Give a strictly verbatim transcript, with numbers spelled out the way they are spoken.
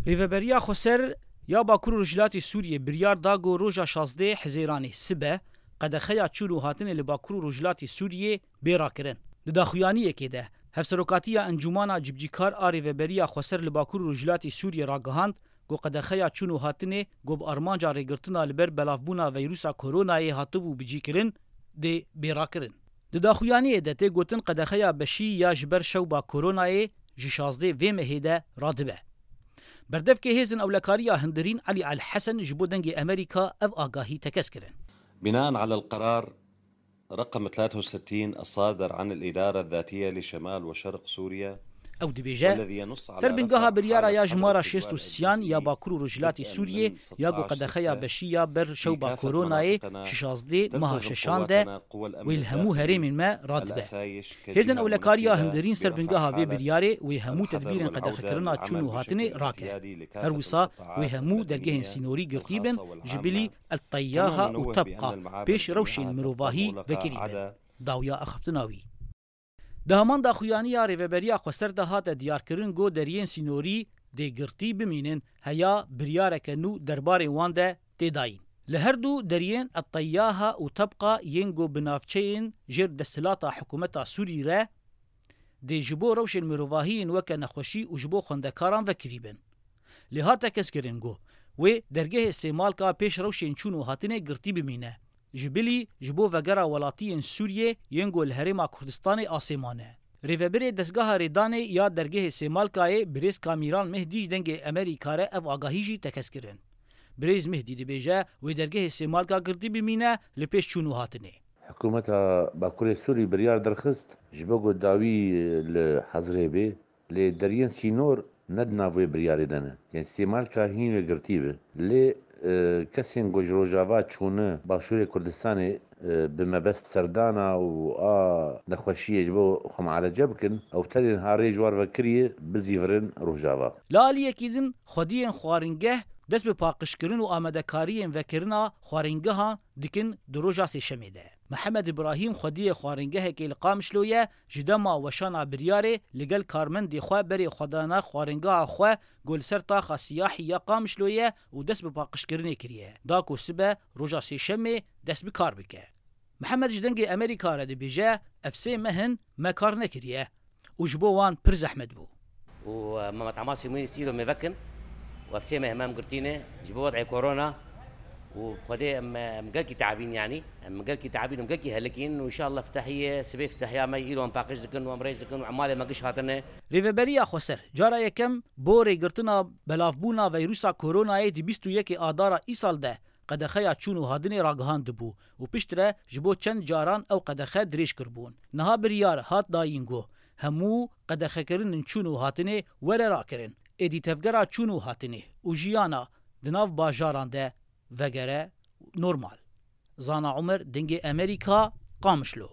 Rêveberiya Xweser ya Bakur û Rojhilatê Sûriyê biryar da ku roja şazdeh Hizêranê sibe qedexeya çûn û hatinê li Bakur û Rojhilatê Sûriyê bê rakirin. Di daxuyaniyekê de, Hevserokatiya Encûmana Cibcîkar a Rêveberiya Xweser li Bakur û Rojhilatê Sûriyê ragihand ku qedexeya çûn û hatinê ku bi armanca rêgirtina li ber belavbûna veyrusa koronayê hatibû bicîkirin, dê bê rakirin. Di daxuyaniyê de tê gotin qedexeya beşî ya ji ber şewba koronayê ji şazdeh vê mehê de radibe. Berdevkê Hêzên Ewlekariya Hundirîn Elî El Hesen ji bo Dengê Amerîka ev agahî tekez kirin. بناء على القرار رقم ثلاثة وستين الصادر عن الإدارة الذاتية لشمال وشرق سوريا Ew dibêje, ser bingeha biryara ya jimara şêst û sêyan ya Bakur û Rojhilatê Sûriyê ya ku qedexeya beşî ya ber şewba koronayê ji şazdeh meha şeşan de wê li hemû herêmên me radibe. Hêzên Ewlekariya Hundirîn ser bingeha vê biryarê wê hemû tedbîrên qedexekirina çûn û hatinê rake. Her wisa wê hemû dergehên sînorî girtî bin, ji bilî El Teyyaha û Tebqa pêş rewşên mirovahî vekirî bin. Dawiya axaftina wî. Di heman daxuyaniya Rêveberiya Xweser de hate diyarkirin ku deriyên sînorî dê girtî bimînin, heya biryareke nû derbarê wan de tê dayîn. Li her du deriyên Eteyyaha û Tebqa yên ku bi navçeyên jêr desthilata hikûmeta Sûrî re dê ji bo rewşên mirovahiyên weke nexweşî û ji bo xwendekaran vekirî bin. Lê hat tekez kirin ku wê dergehê Sêmalka pêş rewşên çûn û hatinê girtî bimîne. Ji bilî ji bo vegera welatiyên Sûriyê yên ku li Herêma Kurdistanê asê mane. Rêvebirê Dezgeha Rêdanê ya Dergehê Sêmalkayê Birêz Kamîran Mehdî ji Dengê Amerîka re ev agahî jî tekez kirin. Birêz Mehdî dibêje wê Dergehê Sêmalka girtî bimîne li pêş çûn û hatinê. Hikûmeta Bakurê Sûrî biryar derxist ji bo ku dawî li hezirê bê. Lê deriyên sînor ne di nav wê biryarê de ne. Yanî Sêmalka hîn wê girtî be. Lê e, kesên ku ji Rojava çûne Başûrê Kurdistanê e, bi mebest serdana û a nexweşiyê ji bo xwe mualece bikin, ew tenê niha rê ji war vekiriye bizîvirin Rojava. Li aliyekî din, xwediyên xwaringeh dest bi paqijkirin û amadekariyên vekirina xwaringehan dikin di roja Sêşemê de. Mihemed Îbrahîm xwediyê xwaringehekê li Qamişlo ye, ji dema weşana biryarê li gel karmendê xwe berê xwedana xwaringeha xwe ku li ser taxa Siyahî ya Qamişlo ye û dest bi paqijkirinê kiriye, da ku sibe roja Sêşemê dest bi kar bike. Mihemed ji Dengê Amerîka re dibêje, Ev sê meh in me kar nekiriye û ji bo wan pir zehmet bû. û Mehmet Amasî Mûnîs îro mêvekin û ev sê meh em girtîne ji bo wed'ê korona û bi Xwedê em, em gelkî teabîn yanî. Em gelkî teabîn û gelkî helikîn û înşallah fitehiyê sibê fitehiya me îro em paqij dikin û em rêj dikin û emalê me giş hatine. Rêveberiya Xweser cara yekem bo rêgirtina belavbûna veyrusa koronayê di bîst û yekê adara îsal de qedexeya çûn û hatinê ragihandibû û piştre ji bo çend caran ew qedexe dirêj kiribûn. Niha biryar hat dayîn ku hemû qedexekirinên çûn û hatinê were rakirin, êdî tevgera çûn û hatinê û jiyana di nav bajaran de vegere normal. Zana Omer, Dengê Amerîka, Qamişlo.